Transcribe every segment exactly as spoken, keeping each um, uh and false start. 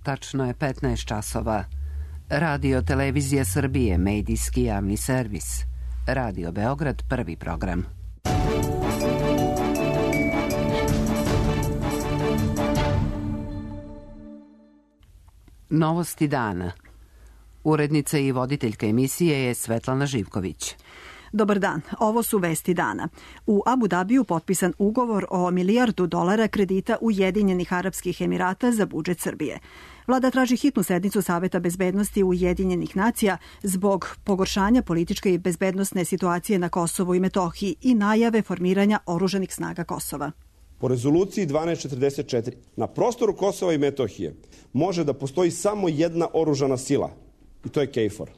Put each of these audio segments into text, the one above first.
Tačno je petnaest časova. Radio Televizija Srbije, medijski javni servis. Radio Beograd, prvi program. Novosti dana. Urednica i voditeljka emisije je Svetlana Živković. Dobar dan, ovo su vesti dana. U Abu Dabiju potpisan ugovor o milijardu dolara kredita Ujedinjenih Arapskih Emirata za budžet Srbije. Vlada traži hitnu sednicu Saveta bezbednosti Ujedinjenih nacija zbog pogoršanja političke i bezbednosne situacije na Kosovu i Metohiji i najave formiranja oružanih snaga Kosova. Po rezoluciji dvanaest četrdeset četiri na prostoru Kosova i Metohije može da postoji samo jedna oružana sila i to je KFOR.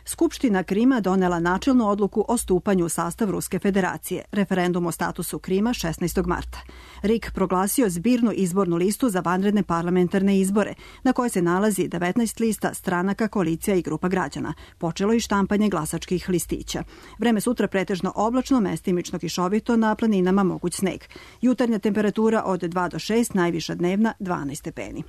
Skupština Krima donela načelnu odluku o stupanju u sastav Ruske federacije. Referendum o statusu Krima šesnaestog marta. R I K proglasio zbirnu izbornu listu za vanredne parlamentarne izbore, na kojoj se nalazi devetnaest lista stranaka, koalicija i grupa građana. Počelo i štampanje glasačkih listića. Vreme sutra pretežno oblačno, mestimično kišovito, na planinama moguć sneg. Jutarnja temperatura od dva do šest, najviša dnevna dvanaest stepeni.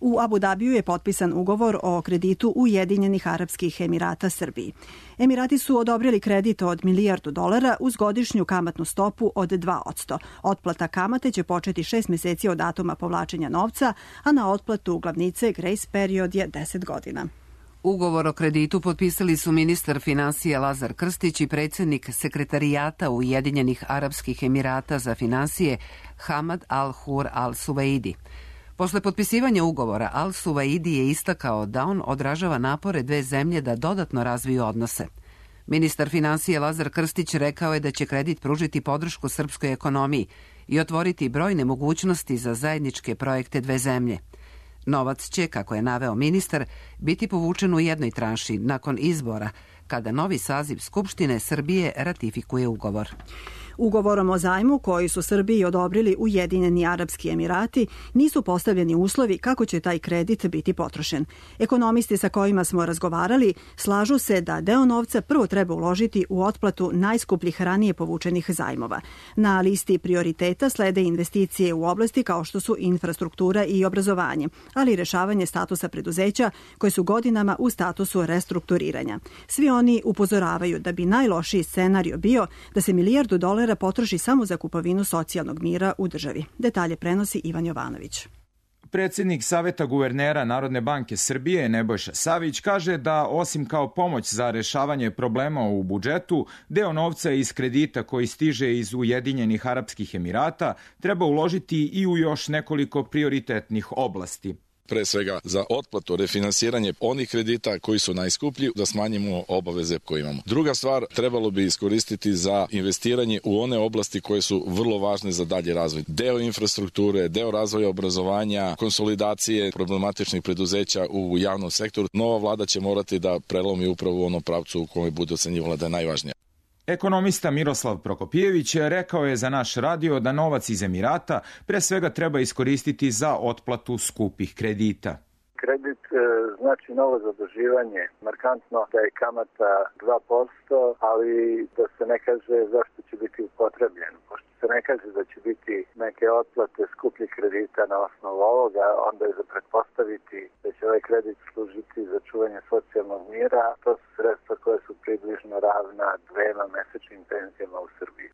U Abu Dabiju je potpisan ugovor o kreditu Ujedinjenih Arapskih Emirata Srbiji. Emirati su odobrili kredit od milijardu dolara uz godišnju kamatnu stopu od dva posto. Otplata kamate će početi šest meseci od datuma povlačenja novca, a na otplatu glavnice grace period je deset godina. Ugovor o kreditu potpisali su ministar finansija Lazar Krstić i predsjednik sekretarijata Ujedinjenih Arapskih Emirata za finansije Hamad Al-Hur Al-Suvaidi. Posle potpisivanja ugovora, Al-Suvaidi je istakao da on odražava napore dve zemlje da dodatno razviju odnose. Ministar finansije Lazar Krstić rekao je da će kredit pružiti podršku srpskoj ekonomiji i otvoriti brojne mogućnosti za zajedničke projekte dve zemlje. Novac će, kako je naveo ministar, biti povučen u jednoj tranši nakon izbora, kada novi saziv Skupštine Srbije ratifikuje ugovor. Ugovorom o zajmu koji su Srbiji odobrili Ujedinjeni Arapski Emirati nisu postavljeni uslovi kako će taj kredit biti potrošen. Ekonomisti sa kojima smo razgovarali slažu se da deo novca prvo treba uložiti u otplatu najskupljih ranije povučenih zajmova. Na listi prioriteta slede investicije u oblasti kao što su infrastruktura i obrazovanje, ali i rešavanje statusa preduzeća koje su godinama u statusu restrukturiranja. Svi oni upozoravaju da bi najlošiji scenario bio da se milijardu dolara potroši samo za kupovinu socijalnog mira u državi. Detalje prenosi Ivan Jovanović. Predsjednik Saveta guvernera Narodne banke Srbije Nebojša Savić kaže da osim kao pomoć za rešavanje problema u budžetu, deo novca iz kredita koji stiže iz Ujedinjenih Arapskih Emirata treba uložiti i u još nekoliko prioritetnih oblasti. Pre svega za otplatu, refinansiranje onih kredita koji su najskuplji, da smanjimo obaveze koje imamo. Druga stvar, trebalo bi iskoristiti za investiranje u one oblasti koje su vrlo važne za dalji razvoj. Deo infrastrukture, deo razvoja obrazovanja, konsolidacije problematičnih preduzeća u javnom sektoru. Nova vlada će morati da prelomi upravo u onom pravcu u kome bude ocenjivala da je najvažnija. Ekonomista Miroslav Prokopijević rekao je za naš radio da novac iz Emirata pre svega treba iskoristiti za otplatu skupih kredita. Kredit e, znači novo zaduživanje. Markantno da je kamata dva posto, ali da se ne kaže zašto će biti upotrebljen. Pošto se ne kaže da će biti neke otplate skupljih kredita na osnovu ovoga, onda je za pretpostaviti da će ovaj kredit služiti za čuvanje socijalnog mira. To su sredstva koje su približno ravna dvema mesečnim penzijama u Srbiji.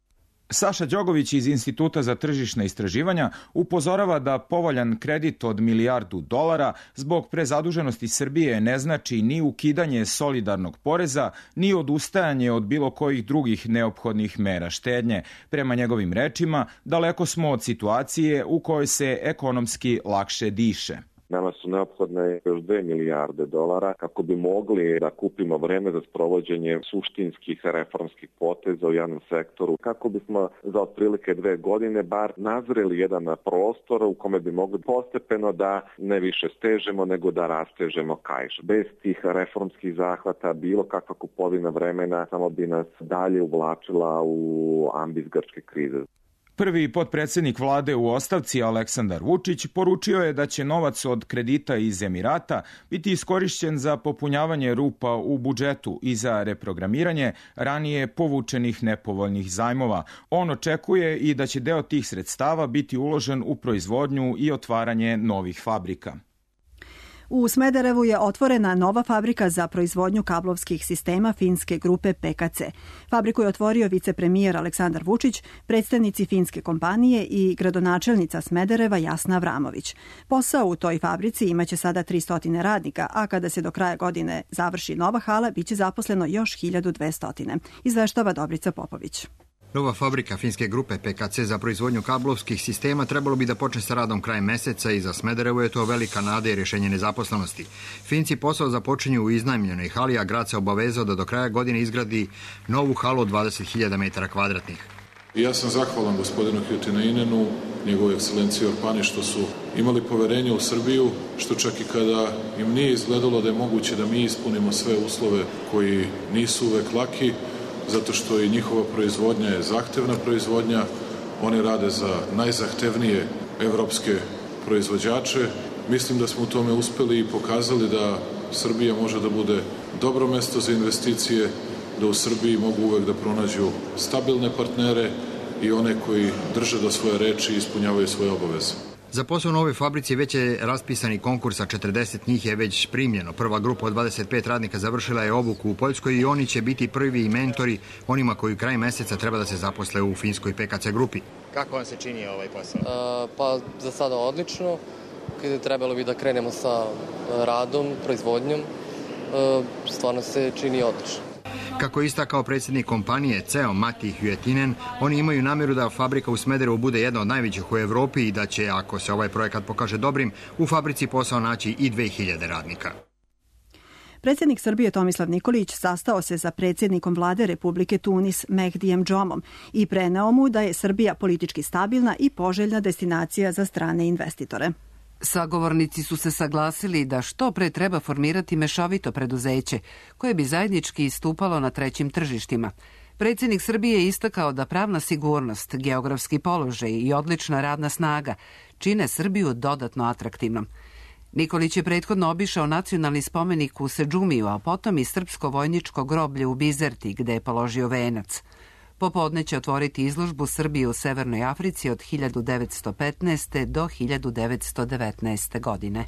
Saša Đogović iz Instituta za tržišna istraživanja upozorava da povoljan kredit od milijardu dolara zbog prezaduženosti Srbije ne znači ni ukidanje solidarnog poreza, ni odustajanje od bilo kojih drugih neophodnih mera štednje. Prema njegovim rečima, daleko smo od situacije u kojoj se ekonomski lakše diše. Nama su neophodne još dve milijarde dolara kako bi mogli da kupimo vreme za sprovođenje suštinskih reformskih poteza u javnom sektoru, kako bismo za otprilike dve godine bar nazreli jedan prostor u kome bi mogli postepeno da ne više stežemo nego da rastežemo kaiš. Bez tih reformskih zahvata bilo kakva kupovina vremena samo bi nas dalje uvlačila u ambis grčke krize. Prvi potpredsednik vlade u ostavci Aleksandar Vučić poručio je da će novac od kredita iz Emirata biti iskorišćen za popunjavanje rupa u budžetu i za reprogramiranje ranije povučenih nepovoljnih zajmova. On očekuje i da će deo tih sredstava biti uložen u proizvodnju i otvaranje novih fabrika. U Smederevu je otvorena nova fabrika za proizvodnju kablovskih sistema finske grupe P K C. Fabriku je otvorio vicepremijer Aleksandar Vučić, predstavnici finske kompanije i gradonačelnica Smedereva Jasna Avramović. Posao u toj fabrici imaće sada tristo radnika, a kada se do kraja godine završi nova hala, biće zaposleno još hiljadu dvesta. Izveštava Dobrica Popović. Nova fabrika finske grupe P K C za proizvodnju kablovskih sistema trebalo bi da počne sa radom krajem meseca i za Smederevo je to velika nada i rješenje nezaposlenosti. Finci posao započinju u iznajmljenoj hali, a grad se obavezao da do kraja godine izgradi novu halu od dvadeset hiljada metara kvadratnih. Ja sam zahvalan gospodinu Hyttynenenu, njegovoj ekscelenciji Orpani, što su imali poverenje u Srbiju, što čak i kada im nije izgledalo da je moguće da mi ispunimo sve uslove koji nisu uvek laki, zato što i njihova proizvodnja je zahtevna proizvodnja, oni rade za najzahtevnije evropske proizvođače. Mislim da smo u tome uspeli i pokazali da Srbija može da bude dobro mesto za investicije, da u Srbiji mogu uvek da pronađu stabilne partnere i one koji drže do svoje reči i ispunjavaju svoje obaveze. Za posao u novoj fabrici već je raspisani konkurs, a četrdeset njih je već primljeno. Prva grupa od dvadeset pet radnika završila je obuku u Poljskoj i oni će biti prvi mentori onima koji kraj meseca treba da se zaposle u finskoj P K C grupi. Kako vam se čini ovaj posao? Uh, pa za sada odlično. Kada trebalo bi da krenemo sa radom, proizvodnjom, uh, stvarno se čini odlično. Kako je istakao predsjednik kompanije C E O Matti Hyttinen, oni imaju namjeru da fabrika u Smederevu bude jedna od najvećih u Evropi i da će, ako se ovaj projekat pokaže dobrim, u fabrici posao naći i dve hiljade radnika. Predsjednik Srbije Tomislav Nikolić sastao se sa predsjednikom vlade Republike Tunis Mehdijem Džomom i preneo mu da je Srbija politički stabilna i poželjna destinacija za strane investitore. Sagovornici su se saglasili da što pre treba formirati mešovito preduzeće koje bi zajednički istupalo na trećim tržištima. Predsjednik Srbije je istakao da pravna sigurnost, geografski položaj i odlična radna snaga čine Srbiju dodatno atraktivnom. Nikolić je prethodno obišao nacionalni spomenik u Sedžumiju, a potom i srpsko vojničko groblje u Bizerti, gde je položio venac. Popodne će otvoriti izložbu Srbije u Severnoj Africi od hiljadu devetsto petnaeste. do hiljadu devetsto devetnaeste. godine.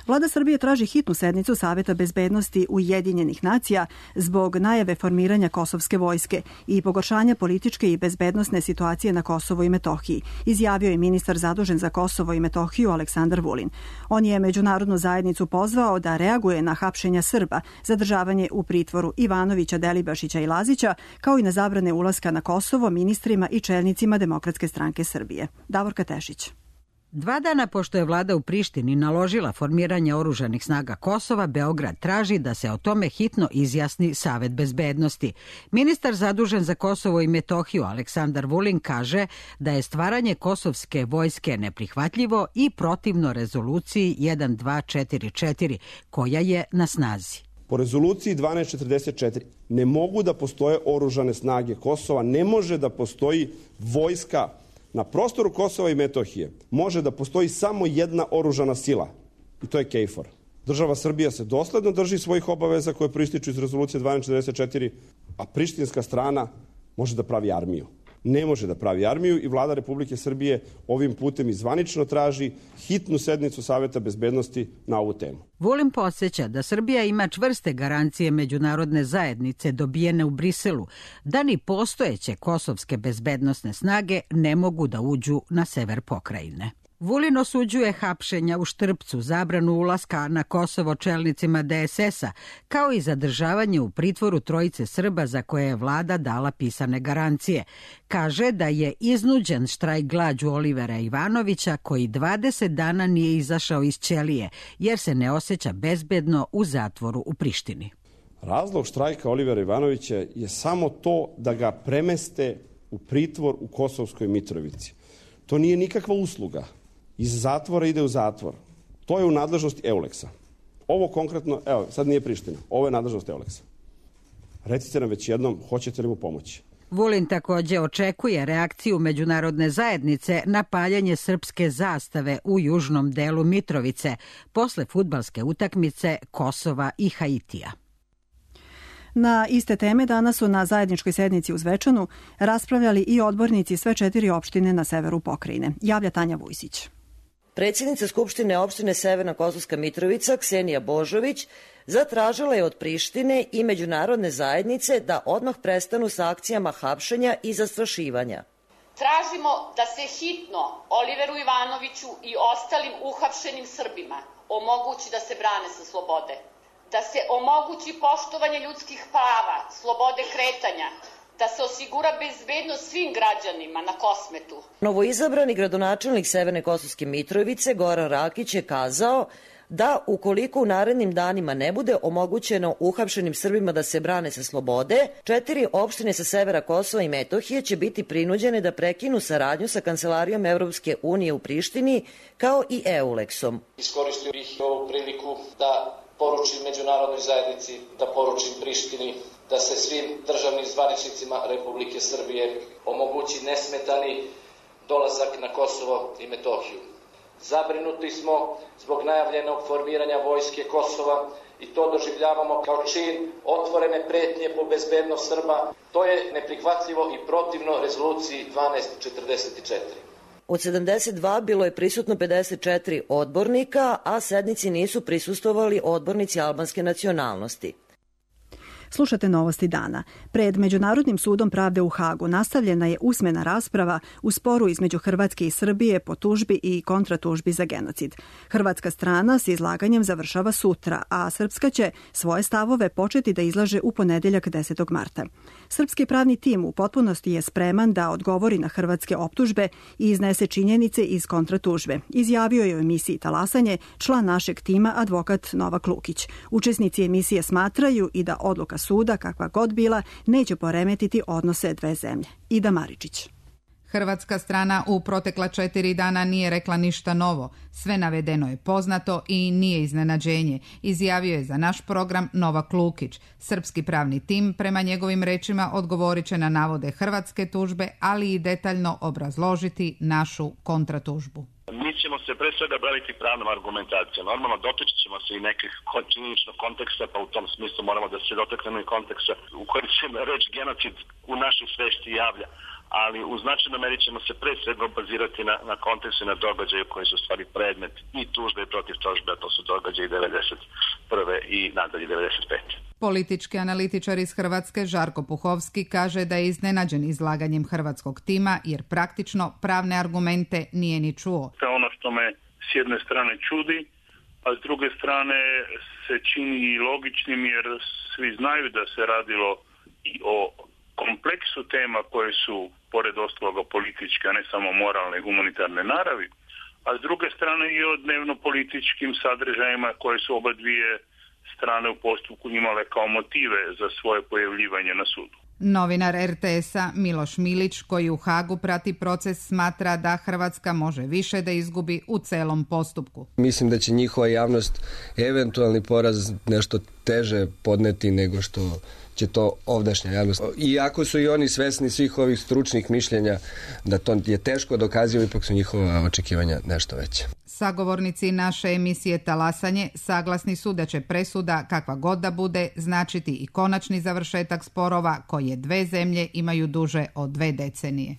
Vlada Srbije traži hitnu sednicu Saveta bezbednosti Ujedinjenih nacija zbog najave formiranja kosovske vojske i pogoršanja političke i bezbednosne situacije na Kosovu i Metohiji, izjavio je ministar zadužen za Kosovo i Metohiju Aleksandar Vulin. On je međunarodnu zajednicu pozvao da reaguje na hapšenja Srba, zadržavanje u pritvoru Ivanovića, Delibašića i Lazića, kao i na zabrane ulaska na Kosovo ministrima i čelnicima Demokratske stranke Srbije. Davorka Tešić. Dva dana pošto je vlada u Prištini naložila formiranje oružanih snaga Kosova, Beograd traži da se o tome hitno izjasni Savet bezbednosti. Ministar zadužen za Kosovo i Metohiju Aleksandar Vulin kaže da je stvaranje kosovske vojske neprihvatljivo i protivno rezoluciji jedan dva četiri četiri koja je na snazi. Po rezoluciji dvanaest četrdeset četiri ne mogu da postoje oružane snage Kosova, ne može da postoji vojska. Na prostoru Kosova i Metohije može da postoji samo jedna oružana sila i to je KFOR. Država Srbija se dosledno drži svojih obaveza koje proističu iz rezolucije dvanaest četrdeset četiri, a prištinska strana može da pravi armiju. Ne može da pravi armiju i vlada Republike Srbije ovim putem i zvanično traži hitnu sednicu Saveta bezbednosti na ovu temu. Vulin podsjeća da Srbija ima čvrste garancije međunarodne zajednice dobijene u Briselu da ni postojeće kosovske bezbednosne snage ne mogu da uđu na sever pokrajine. Vulin osuđuje hapšenja u Štrpcu, zabranu ulaska na Kosovo čelnicima D S S-a, kao i zadržavanje u pritvoru trojice Srba za koje je vlada dala pisane garancije. Kaže da je iznuđen štrajk glađu Olivera Ivanovića, koji dvadeset dana nije izašao iz ćelije, jer se ne osjeća bezbedno u zatvoru u Prištini. Razlog štrajka Olivera Ivanovića je samo to da ga premeste u pritvor u Kosovskoj Mitrovici. To nije nikakva usluga. Iz zatvora ide u zatvor. To je u nadležnosti Euleksa. Ovo konkretno, evo, sad nije Priština, ovo je nadležnost Euleksa. Recite nam već jednom, hoćete li mu pomoći? Vulin takođe očekuje reakciju međunarodne zajednice na paljanje srpske zastave u južnom delu Mitrovice posle fudbalske utakmice Kosova i Haitija. Na iste teme danas su na zajedničkoj sednici u Zvečanu raspravljali i odbornici sve četiri opštine na severu pokrajine. Javlja Tanja Vujsić. Predsjednica Skupštine opštine Severna Kosovska Mitrovica, Ksenija Božović, zatražila je od Prištine i međunarodne zajednice da odmah prestanu sa akcijama hapšenja i zastrašivanja. Tražimo da se hitno Oliveru Ivanoviću i ostalim uhapšenim Srbima omogući da se brane sa slobode, da se omogući poštovanje ljudskih prava, slobode kretanja, da se osigura bezbednost svim građanima na Kosmetu. Novoizabrani gradonačelnik Severne Kosovske Mitrovice, Goran Rakić, je kazao da ukoliko u narednim danima ne bude omogućeno uhapšenim Srbima da se brane sa slobode, četiri opštine sa severa Kosova i Metohije će biti prinuđene da prekinu saradnju sa Kancelarijom Evropske unije u Prištini kao i EULEX-om. Iskoristio bih ovu priliku da poručim međunarodnoj zajednici, da poručim Prištini da se svim državnim zvaničnicima Republike Srbije omogući nesmetani dolazak na Kosovo i Metohiju. Zabrinuti smo zbog najavljenog formiranja vojske Kosova i to doživljavamo kao čin otvorene pretnje po bezbednost Srba. To je neprihvatljivo i protivno rezoluciji dvanaest četrdeset četiri. Od sedamdeset dva bilo je prisutno pedeset četiri odbornika, a sednici nisu prisustvovali odbornici albanske nacionalnosti. Slušate novosti dana. Pred Međunarodnim sudom pravde u Hagu nastavljena je usmena rasprava u sporu između Hrvatske i Srbije po tužbi i kontratužbi za genocid. Hrvatska strana s izlaganjem završava sutra, a Srpska će svoje stavove početi da izlaže u ponedeljak desetog marta. Srpski pravni tim u potpunosti je spreman da odgovori na hrvatske optužbe i iznese činjenice iz kontratužbe, izjavio je u emisiji Talasanje član našeg tima advokat Novak Lukić. Učesnici emisije smatraju i da odluka suda, kakva god bila, neće poremetiti odnose dve zemlje. Ida Maričić. Hrvatska strana u protekla četiri dana nije rekla ništa novo. Sve navedeno je poznato i nije iznenađenje, izjavio je za naš program Novak Lukić. Srpski pravni tim, prema njegovim rečima, odgovorit će na navode hrvatske tužbe, ali i detaljno obrazložiti našu kontratužbu. Mi ćemo se pre svega baviti pravnom argumentacijom. Normalno dotaći ćemo se i nekih činjeničnog konteksta, pa u tom smislu moramo da se dotaknemo i konteksta u kojem se reč genocid u našoj svesti javlja. Ali u značajnoj meri ćemo se pre svega bazirati na, na kontekstu i na događaju koji su stvari predmet i tužbe i protiv tužbe, a to su događaji devedeset prve i nadalje devedeset pete Politički analitičar iz Hrvatske Žarko Puhovski kaže da je iznenađen izlaganjem hrvatskog tima jer praktično pravne argumente nije ni čuo. To je ono što me s jedne strane čudi, a s druge strane se čini i logičnim jer svi znaju da se radilo i o kompleksu tema koje su, pored ostaloga, političke, a ne samo moralne i humanitarne naravi, a s druge strane i o dnevno-političkim sadržajima koje su oba dvije strane u postupku imale kao motive za svoje pojavljivanje na sudu. Novinar er te es-a Miloš Milić, koji u Hagu prati proces, smatra da Hrvatska može više da izgubi u celom postupku. Mislim da će njihova javnost eventualni poraz nešto teže podneti nego što će to ovdašnja javnost. Iako su i oni svesni svih ovih stručnih mišljenja da to je teško dokazivo, ipak su njihova očekivanja nešto veće. Sagovornici naše emisije Talasanje saglasni su da će presuda, kakva god da bude, značiti i konačni završetak sporova koje dve zemlje imaju duže od dve decenije.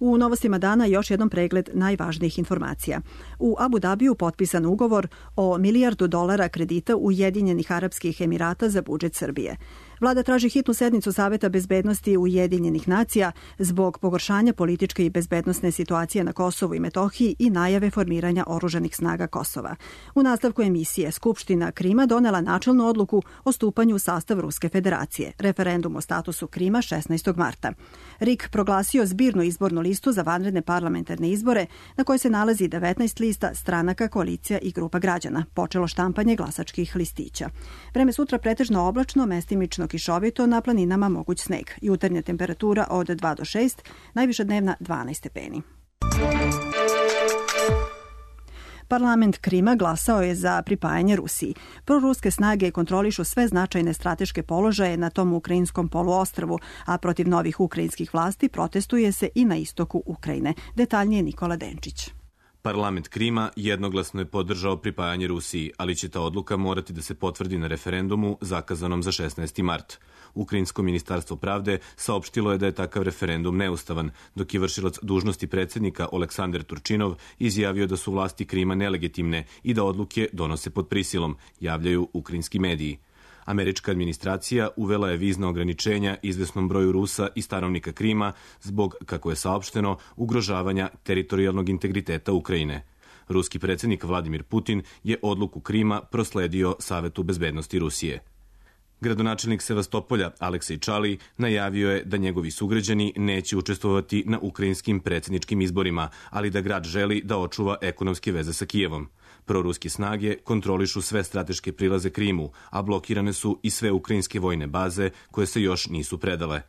U novostima dana još jedan pregled najvažnijih informacija. U Abu Dabiju potpisan ugovor o milijardu dolara kredita Ujedinjenih Arapskih Emirata za budžet Srbije. Vlada traži hitnu sednicu Saveta bezbednosti Ujedinjenih nacija zbog pogoršanja političke i bezbednosne situacije na Kosovu i Metohiji i najave formiranja oružanih snaga Kosova. U nastavku emisije Skupština Krima donela načelnu odluku o stupanju u sastav Ruske federacije. Referendum o statusu Krima šesnaestog marta. R I K proglasio zbirnu izbornu listu za vanredne parlamentarne izbore na kojoj se nalazi devetnaest lista stranaka, koalicija i grupa građana. Počelo štampanje glasačkih listića. Vreme sutra pretežno oblačno, mestimično kišovito, na planinama moguć sneg. Jutarnja temperatura od dva do šest, najviša dnevna dvanaest stepeni. Parlament Krima glasao je za pripajanje Rusiji. Proruske snage kontrolišu sve značajne strateške položaje na tom ukrajinskom poluostrvu, a protiv novih ukrajinskih vlasti protestuje se i na istoku Ukrajine. Detaljnije Nikola Denčić. Parlament Krima jednoglasno je podržao pripajanje Rusiji, ali će ta odluka morati da se potvrdi na referendumu zakazanom za šesnaesti mart. Ukrajinsko ministarstvo pravde saopštilo je da je takav referendum neustavan, dok je vršilac dužnosti predsjednika Oleksandar Turčinov izjavio da su vlasti Krima nelegitimne i da odluke donose pod prisilom, javljaju ukrajinski mediji. Američka administracija uvela je vizna ograničenja izvesnom broju Rusa i stanovnika Krima zbog, kako je saopšteno, ugrožavanja teritorijalnog integriteta Ukrajine. Ruski predsjednik Vladimir Putin je odluku Krima prosledio Savetu bezbednosti Rusije. Gradonačelnik Sevastopolja Aleksej Čali najavio je da njegovi sugrađani neće učestvovati na ukrajinskim predsjedničkim izborima, ali da grad želi da očuva ekonomske veze sa Kijevom. Proruske snage kontrolišu sve strateške prilaze Krimu, a blokirane su i sve ukrajinske vojne baze koje se još nisu predale.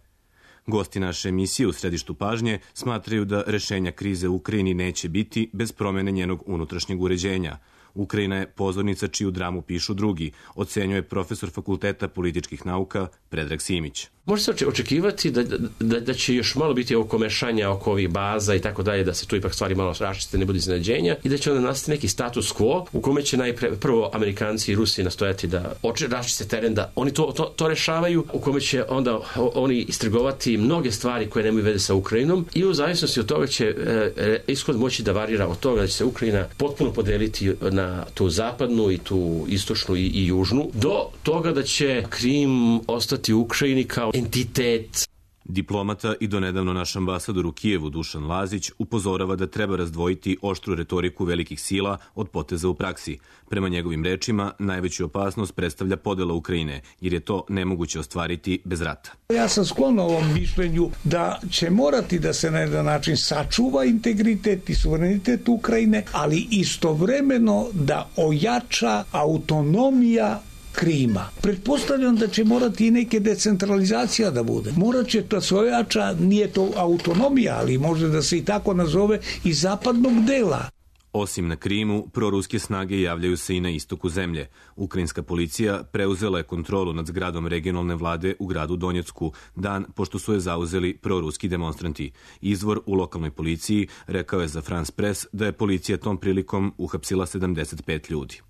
Gosti naše emisije u središtu pažnje smatraju da rešenja krize u Ukrajini neće biti bez promjene njenog unutrašnjeg uređenja. Ukrajina je pozornica čiju dramu pišu drugi, ocenjuje profesor Fakulteta političkih nauka Predrag Simić. Može se očekivati da, da, da će još malo biti oko mešanja, oko ovih baza i tako dalje, da se tu ipak stvari malo raščiste, ne bude iznenađenja i da će onda nastati neki status quo u kome će najpre, prvo Amerikanci i Rusi nastojati da raščiste teren, da oni to, to, to rešavaju, u kome će onda oni istrgovati mnoge stvari koje nemaju veze sa Ukrajinom i u zavisnosti od toga će e, ishod moći da varira od toga da će se Ukrajina potpuno podeliti na tu zapadnu i tu istočnu i, i južnu, do toga da će Krim ostati u Ukrajini kao entitet. Diplomata i donedavno naš ambasador u Kijevu Dušan Lazić upozorava da treba razdvojiti oštru retoriku velikih sila od poteza u praksi. Prema njegovim rečima, najveću opasnost predstavlja podela Ukrajine, jer je to nemoguće ostvariti bez rata. Ja sam sklon ovom mišljenju da će morati da se na jedan način sačuva integritet i suverenitet Ukrajine, ali istovremeno da ojača autonomija Krima. Pretpostavljam da će morati i neke decentralizacija da bude. Morat će to se ojača, nije to autonomija, ali može da se i tako nazove, i zapadnog dela. Osim na Krimu, proruske snage javljaju se i na istoku zemlje. Ukrajinska policija preuzela je kontrolu nad zgradom regionalne vlade u gradu Donjecku, dan pošto su je zauzeli proruski demonstranti. Izvor u lokalnoj policiji rekao je za France Press da je policija tom prilikom uhapsila sedamdeset pet ljudi.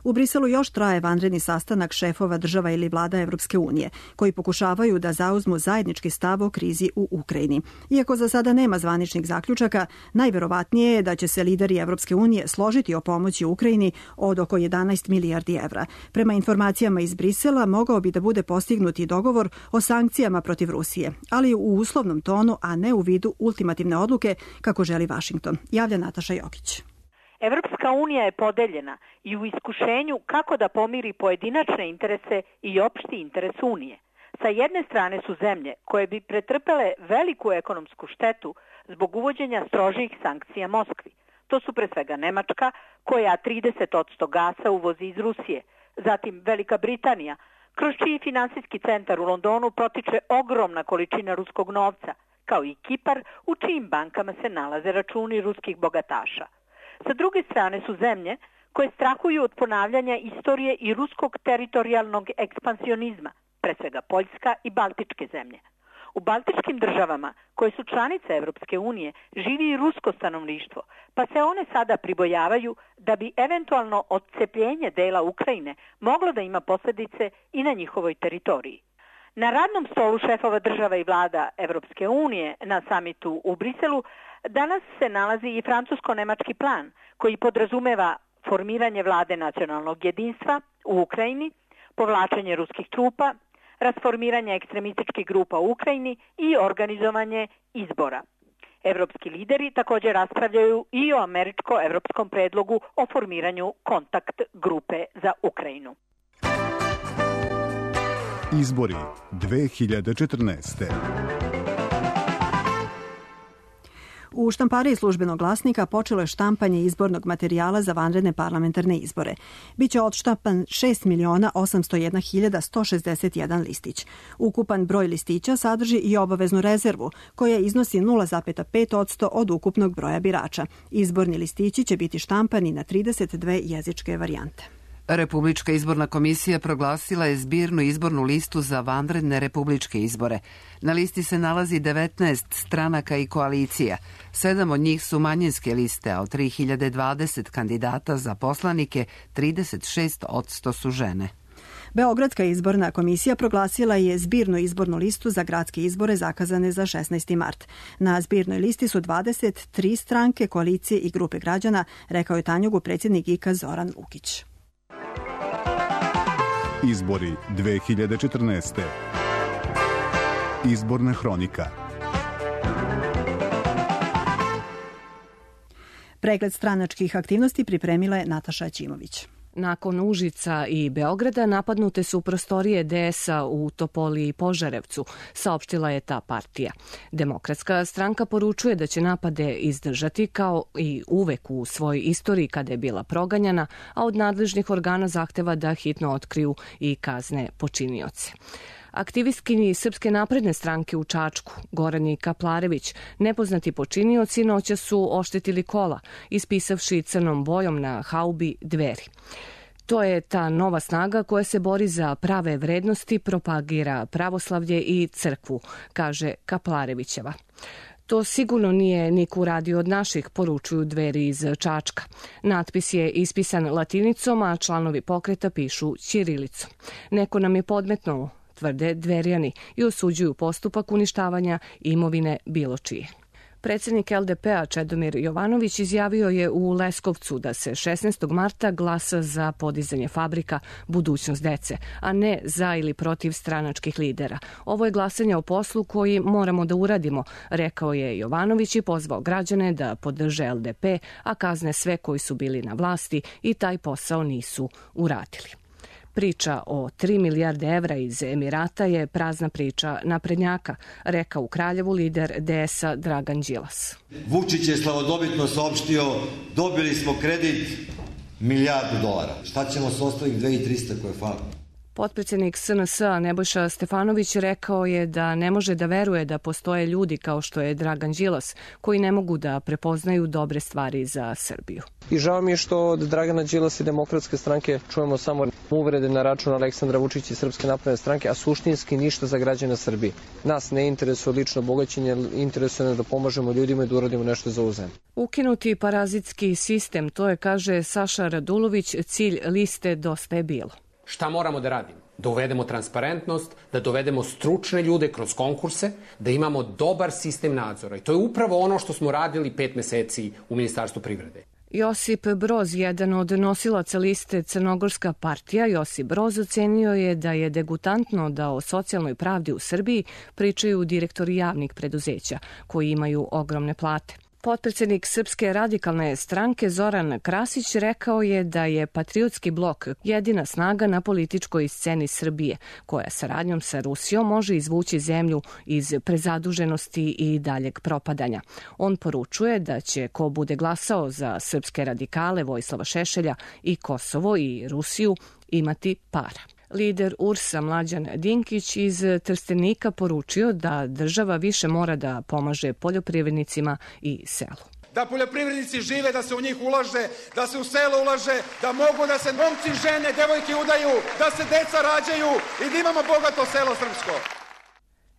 U Briselu još traje vanredni sastanak šefova država ili vlada Evropske unije, koji pokušavaju da zauzmu zajednički stav o krizi u Ukrajini. Iako za sada nema zvaničnih zaključaka, najverovatnije je da će se lideri Evropske unije složiti o pomoći Ukrajini od oko jedanaest milijardi evra. Prema informacijama iz Brisela, mogao bi da bude postignuti dogovor o sankcijama protiv Rusije, ali u uslovnom tonu, a ne u vidu ultimativne odluke, kako želi Vašington. Javlja Nataša Jokić. Evropska unija je podeljena i u iskušenju kako da pomiri pojedinačne interese i opšti interes Unije. Sa jedne strane su zemlje koje bi pretrpele veliku ekonomsku štetu zbog uvođenja strožih sankcija Moskvi. To su pre svega Nemačka, koja trideset posto gasa uvozi iz Rusije, zatim Velika Britanija, kroz čiji finansijski centar u Londonu protiče ogromna količina ruskog novca, kao i Kipar, u čijim bankama se nalaze računi ruskih bogataša. Sa druge strane su zemlje koje strahuju od ponavljanja istorije i ruskog teritorijalnog ekspansionizma, pre svega Poljska i Baltičke zemlje. U baltičkim državama, koje su članice Evropske unije, živi i rusko stanovništvo, pa se one sada pribojavaju da bi eventualno odcepljenje dela Ukrajine moglo da ima posljedice i na njihovoj teritoriji. Na radnom stolu šefova država i vlada Evropske unije na samitu u Briselu danas se nalazi i francusko-nemački plan koji podrazumeva formiranje vlade nacionalnog jedinstva u Ukrajini, povlačenje ruskih trupa, rasformiranje ekstremističkih grupa u Ukrajini i organizovanje izbora. Evropski lideri također raspravljaju i o američko-evropskom predlogu o formiranju kontakt grupe za Ukrajinu. Izbori dve hiljade četrnaeste. U štampariji Službenog glasnika počelo je štampanje izbornog materijala za vanredne parlamentarne izbore. Biće odštampan šest miliona osamsto jedna hiljada sto šezdeset jedan listić. Ukupan broj listića sadrži i obaveznu rezervu, koja iznosi nula zarez pet posto od ukupnog broja birača. Izborni listići će biti štampani na trideset dve jezičke varijante. Republička izborna komisija proglasila je zbirnu izbornu listu za vanredne republičke izbore. Na listi se nalazi devetnaest stranaka i koalicija. Sedam od njih su manjinske liste, a od tri hiljade dvadeset kandidata za poslanike trideset šest posto su žene. Beogradska izborna komisija proglasila je zbirnu izbornu listu za gradske izbore zakazane za šesnaesti mart. Na zbirnoj listi su dvadeset tri stranke, koalicije i grupe građana, rekao je Tanjugu predsjednik I K A Zoran Lukić. Izbori dve hiljade četrnaeste. Izborna hronika. Pregled stranačkih aktivnosti pripremila je Nataša Ćimović. Nakon Užica i Beograda napadnute su prostorije D S A u Topoli i Požarevcu, saopštila je ta partija. Demokratska stranka poručuje da će napade izdržati kao i uvek u svojoj istoriji kada je bila proganjana, a od nadležnih organa zahteva da hitno otkriju i kazne počinioce. Aktivistkinji Srpske napredne stranke u Čačku, Gorani Kaplarević, nepoznati počinioci noća su oštetili kola, ispisavši crnom bojom na haubi Dveri. To je ta nova snaga koja se bori za prave vrednosti, propagira pravoslavlje i crkvu, kaže Kaplarevićeva. To sigurno nije niko uradio od naših, poručuju Dveri iz Čačka. Natpis je ispisan latinicom, a članovi pokreta pišu ćirilicom. Neko nam je podmetnuo, tvrde Dverjani, i osuđuju postupak uništavanja imovine bilo čije. Predsjednik L D P a Čedomir Jovanović izjavio je u Leskovcu da se šesnaestog marta glasa za podizanje fabrika Budućnost dece, a ne za ili protiv stranačkih lidera. Ovo je glasanje o poslu koji moramo da uradimo, rekao je Jovanović i pozvao građane da podrže L D P, a kazne sve koji su bili na vlasti i taj posao nisu uradili. Priča o tri milijarde evra iz Emirata je prazna priča naprednjaka, rekao u Kraljevu lider D S A Dragan Đilas. Vučić je slavodobitno saopštio, dobili smo kredit milijardu dolara. Šta ćemo s ostalih dve hiljade trista koje fali? Potpredsjednik S N S A Nebojša Stefanović rekao je da ne može da veruje da postoje ljudi kao što je Dragan Đilas koji ne mogu da prepoznaju dobre stvari za Srbiju. I žao mi je što od Dragana Đilasa i Demokratske stranke čujemo samo uvrede na račun Aleksandra Vučića i Srpske napredne stranke, a suštinski ništa za građane Srbije. Nas ne interesuje lično bogaćenje, interesuje nas da pomažemo ljudima i da uradimo nešto za ovu zemlju. Ukinuti parazitski sistem, to je, kaže Saša Radulović, cilj liste Dosta je bilo. Šta moramo da radimo? Da uvedemo transparentnost, da dovedemo stručne ljude kroz konkurse, da imamo dobar sistem nadzora. I to je upravo ono što smo radili pet meseci u Ministarstvu privrede. Josip Broz, jedan od nosilaca liste Crnogorska partija, Josip Broz ocenio je da je degutantno da o socijalnoj pravdi u Srbiji pričaju direktori javnih preduzeća, koji imaju ogromne plate. Potpredsjednik Srpske radikalne stranke Zoran Krasić rekao je da je Patriotski blok jedina snaga na političkoj sceni Srbije, koja saradnjom sa Rusijom može izvući zemlju iz prezaduženosti i daljeg propadanja. On poručuje da će ko bude glasao za srpske radikale Vojislava Šešelja i Kosovo i Rusiju imati para. Lider U R S-a Mlađan Dinkić iz Trstenika poručio da država više mora da pomaže poljoprivrednicima i selu. Da poljoprivrednici žive, da se u njih ulaže, da se u selo ulaže, da mogu da se momci, žene, devojke udaju, da se deca rađaju i da imamo bogato selo srpsko.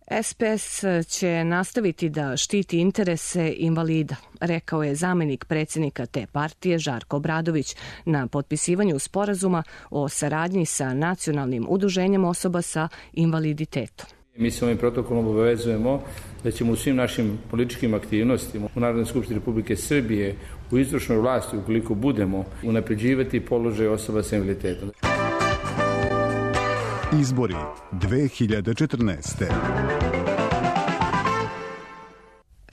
S P S će nastaviti da štiti interese invalida, rekao je zamenik predsjednika te partije Žarko Obradović na potpisivanju sporazuma o saradnji sa nacionalnim udruženjem osoba sa invaliditetom. Mi se ovim protokolom obavezujemo da ćemo u svim našim političkim aktivnostima u Narodnoj skupštini Republike Srbije u izvršnoj vlasti, ukoliko budemo, unapređivati položaj osoba sa invaliditetom. Izbori dve hiljade četrnaeste.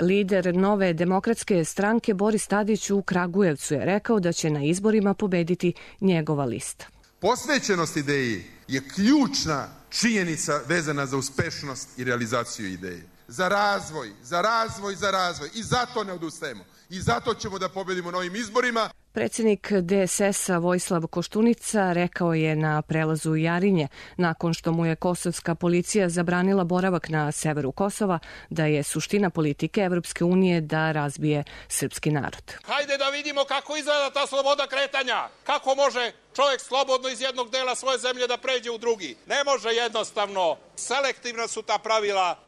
Lider Nove demokratske stranke Boris Tadić u Kragujevcu je rekao da će na izborima pobediti njegova lista. Posvećenost ideji je ključna činjenica vezana za uspešnost i realizaciju ideje. za razvoj, za razvoj, za razvoj. I zato ne odustajemo. I zato ćemo da pobedimo na ovim izborima. Predsjednik D S S-a Vojislav Koštunica rekao je na prelazu Jarinje, nakon što mu je kosovska policija zabranila boravak na severu Kosova, da je suština politike Evropske unije da razbije srpski narod. Hajde da vidimo kako izgleda ta sloboda kretanja. Kako može čovjek slobodno iz jednog dela svoje zemlje da pređe u drugi. Ne može jednostavno. Selektivna su ta pravila.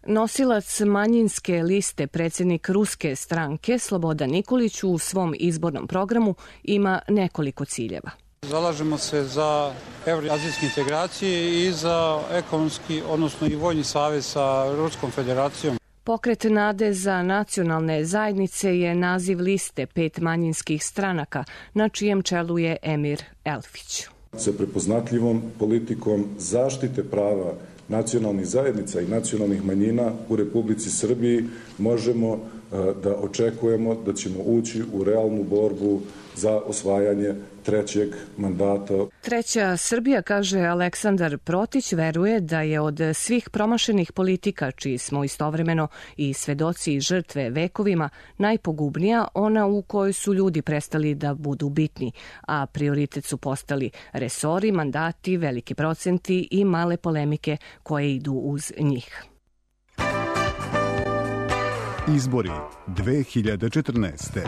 Nosilac manjinske liste, predsjednik ruske stranke Slobodan Nikolić u svom izbornom programu ima nekoliko ciljeva. Zalažemo se za evroazijske integracije i za ekonomski, odnosno i vojni savez sa Ruskom federacijom. Pokret Nade za nacionalne zajednice je naziv liste pet manjinskih stranaka, na čijem čelu je Emir Elfić. Sa prepoznatljivom politikom zaštite prava nacionalnih zajednica i nacionalnih manjina u Republici Srbiji možemo da očekujemo da ćemo ući u realnu borbu za osvajanje trećeg mandata. Treća Srbija, kaže Aleksandar Protić, veruje da je od svih promašenih politika, čiji smo istovremeno i svedoci i žrtve vekovima, najpogubnija ona u kojoj su ljudi prestali da budu bitni, a prioritet su postali resori, mandati, veliki procenti i male polemike koje idu uz njih. Izbori dve hiljade četrnaeste.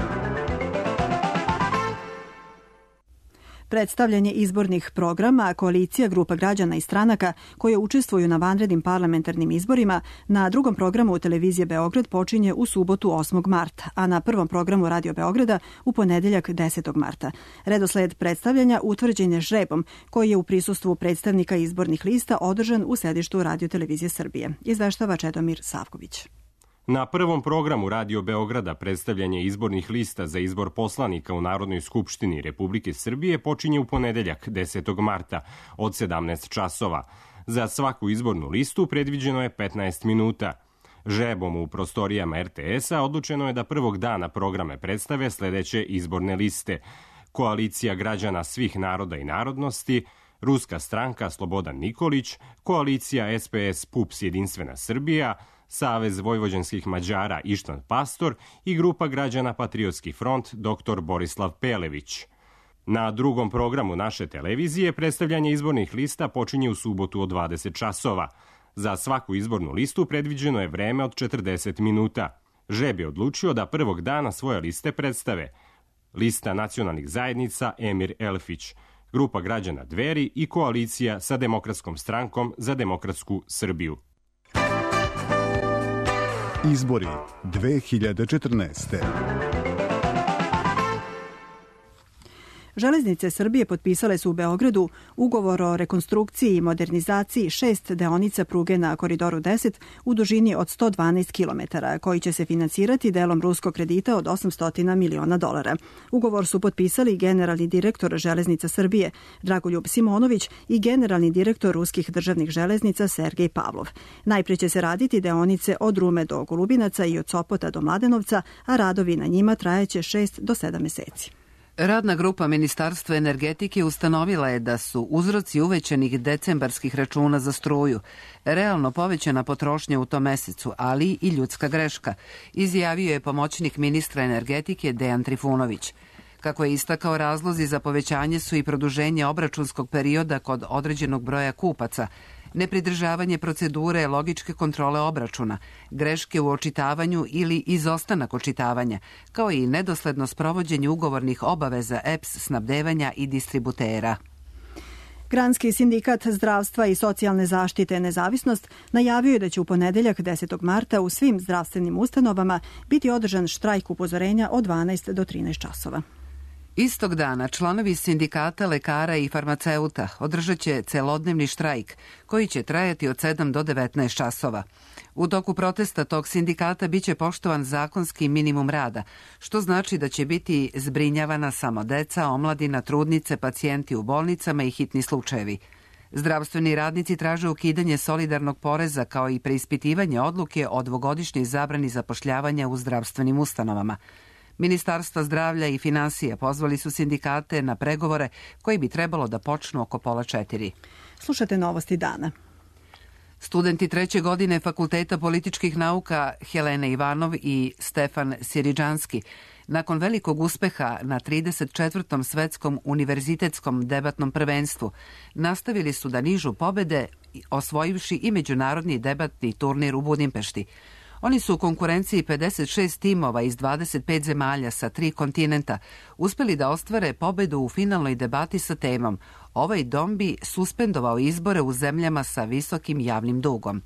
Predstavljanje izbornih programa koalicija grupa građana i stranaka koje učestvuju na vanrednim parlamentarnim izborima na drugom programu televizije Beograd počinje u subotu osmog marta, a na prvom programu Radio Beograda u ponedeljak desetog marta. Redosled predstavljanja utvrđen je žrebom koji je u prisustvu predstavnika izbornih lista održan u sedištu Radio televizije Srbije. Izveštava Čedomir Savković. Na prvom programu Radio Beograda predstavljanje izbornih lista za izbor poslanika u Narodnoj skupštini Republike Srbije počinje u ponedeljak desetog marta od sedamnaest časova. Za svaku izbornu listu predviđeno je petnaest minuta. Žrebom u prostorijama R T S-a odlučeno je da prvog dana programe predstave sledeće izborne liste: Koalicija građana svih naroda i narodnosti, Ruska stranka Slobodan Nikolić, Koalicija S P S P U P S Jedinstvena Srbija, Savez vojvođanskih Mađara Ištvan Pastor i grupa građana Patriotski front dr Borislav Pelević. Na drugom programu naše televizije predstavljanje izbornih lista počinje u subotu od dvadeset časova. Za svaku izbornu listu predviđeno je vreme od četrdeset minuta. Žreb je odlučio da prvog dana svoje liste predstave: Lista nacionalnih zajednica Emir Elfić, grupa građana Dveri i koalicija sa Demokratskom strankom za demokratsku Srbiju. Izbori dve hiljade četrnaeste. Železnice Srbije potpisale su u Beogradu ugovor o rekonstrukciji i modernizaciji šest deonica pruge na Koridoru deset u dužini od sto dvanaest kilometara, koji će se finansirati delom ruskog kredita od osamsto miliona dolara. Ugovor su potpisali generalni direktor Železnica Srbije Dragoljub Simonović i generalni direktor ruskih državnih železnica Sergej Pavlov. Najpre će se raditi deonice od Rume do Golubinaca i od Sopota do Mladenovca, a radovi na njima trajeće šest do sedam meseci. Radna grupa Ministarstva energetike ustanovila je da su uzroci uvećanih decembarskih računa za struju realno povećana potrošnja u tom mesecu, ali i ljudska greška, izjavio je pomoćnik ministra energetike Dejan Trifunović. Kako je istakao, razlozi za povećanje su i produženje obračunskog perioda kod određenog broja kupaca, nepridržavanje procedure logičke kontrole obračuna, greške u očitavanju ili izostanak očitavanja, kao i nedosledno sprovođenje ugovornih obaveza E P S snabdevanja i distributera. Granski sindikat zdravstva i socijalne zaštite Nezavisnost najavio je da će u ponedeljak desetog marta u svim zdravstvenim ustanovama biti održan štrajk upozorenja od dvanaest do trinaest časova. Istog dana članovi sindikata lekara i farmaceuta održat će celodnevni štrajk koji će trajati od sedam do devetnaest časova. U toku protesta tog sindikata biće poštovan zakonski minimum rada, što znači da će biti zbrinjavana samo deca, omladina, trudnice, pacijenti u bolnicama i hitni slučajevi. Zdravstveni radnici traže ukidanje solidarnog poreza kao i preispitivanje odluke o dvogodišnjoj zabrani zapošljavanja u zdravstvenim ustanovama. Ministarstva zdravlja i finansija pozvali su sindikate na pregovore koji bi trebalo da počnu oko pola četiri. Slušate novosti dana. Studenti treće godine Fakulteta političkih nauka Helena Ivanov i Stefan Siriđanski nakon velikog uspeha na trideset četvrtom svetskom univerzitetskom debatnom prvenstvu nastavili su da nižu pobede, osvojivši i međunarodni debatni turnir u Budimpešti. Oni su u konkurenciji pedeset šest timova iz dvadeset pet zemalja sa tri kontinenta uspeli da ostvare pobedu u finalnoj debati sa temom "Ovaj dom bi suspendovao izbore u zemljama sa visokim javnim dugom".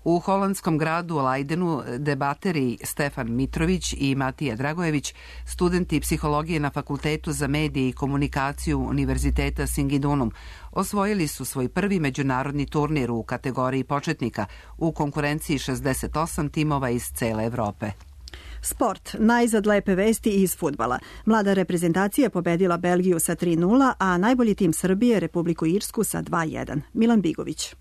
U holandskom gradu Leidenu debateri Stefan Mitrović i Matija Dragojević, studenti psihologije na Fakultetu za medije i komunikaciju Univerziteta Singidunum, osvojili su svoj prvi međunarodni turnir u kategoriji početnika u konkurenciji šezdeset osam timova iz cele Evrope. Sport. Najzad lepe vesti iz fudbala. Mlada reprezentacija je pobedila Belgiju sa tri nula, a najbolji tim Srbije Republiku Irsku sa dva jedan. Milan Bigović.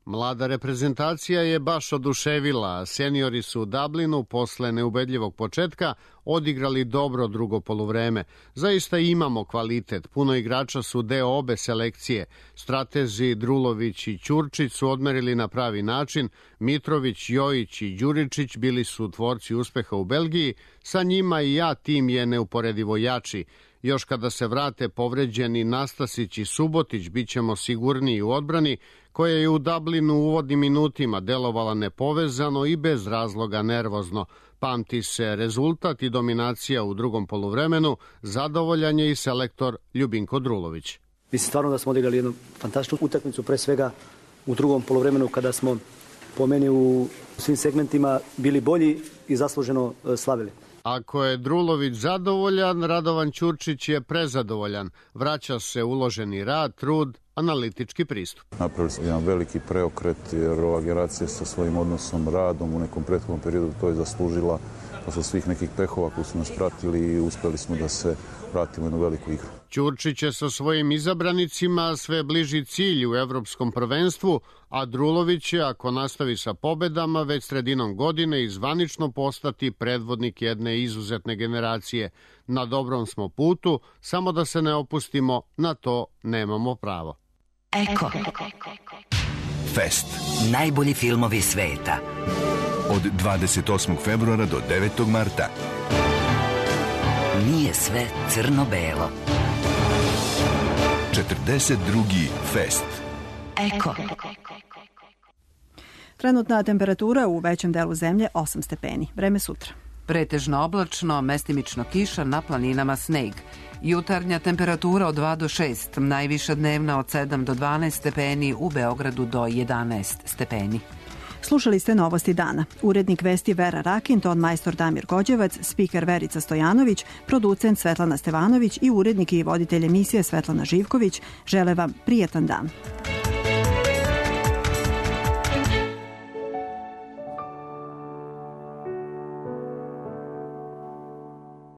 Mlada reprezentacija je baš oduševila. Seniori su u Dublinu posle neubedljivog početka odigrali dobro drugo poluvreme. Zaista imamo kvalitet. Puno igrača su deo obe selekcije. Stratezi Drulović i Ćurčić su odmerili na pravi način. Mitrović, Jojić i Đuričić bili su tvorci uspeha u Belgiji. Sa njima i ja tim je neuporedivo jači. Još kada se vrate povređeni Nastasić i Subotić, bit ćemo sigurniji u odbrani, koja je u Dublinu u uvodnim minutima delovala nepovezano i bez razloga nervozno. Pamti se rezultat i dominacija u drugom poluvremenu, zadovoljan je i selektor Ljubinko Drulović. Mislim stvarno da smo odigrali jednu fantastičnu utakmicu, pre svega u drugom poluvremenu kada smo po meni u svim segmentima bili bolji i zasluženo slavili. Ako je Drulović zadovoljan, Radovan Ćurčić je prezadovoljan. Vraća se uloženi rad, trud, analitički pristup. Napravili smo jedan veliki preokret jer ova generacija sa svojim odnosom, radom u nekom prethodnom periodu to je zaslužila posle svih nekih pehova koji su nas pratili i uspeli smo da se vratimo u jednu veliku igru. Ćurčić je sa svojim izabranicima sve bliži cilju u evropskom prvenstvu, a Drulović će, ako nastavi sa pobedama, već sredinom godine i zvanično postati predvodnik jedne izuzetne generacije. Na dobrom smo putu, samo da se ne opustimo, na to nemamo pravo. Eko. Fest. Najbolji filmovi sveta. Od dvadeset osmog februara do devetog marta. Nije sve crno-belo. četrdeset drugi Fest. Eko. Trenutna temperatura u većem delu zemlje osam stepeni. Vreme sutra. Pretežno oblačno, mestimično kiša, na planinama sneg. Jutarnja temperatura od dva do šest, najviša dnevna od sedam do dvanaest stepeni, u Beogradu do jedanaest stepeni. Slušali ste Novosti dana. Urednik vesti Vera Rakin, ton majstor Damir Gođevac, spiker Verica Stojanović, producent Svetlana Stevanović i urednik i voditelj emisije Svetlana Živković žele vam prijetan dan.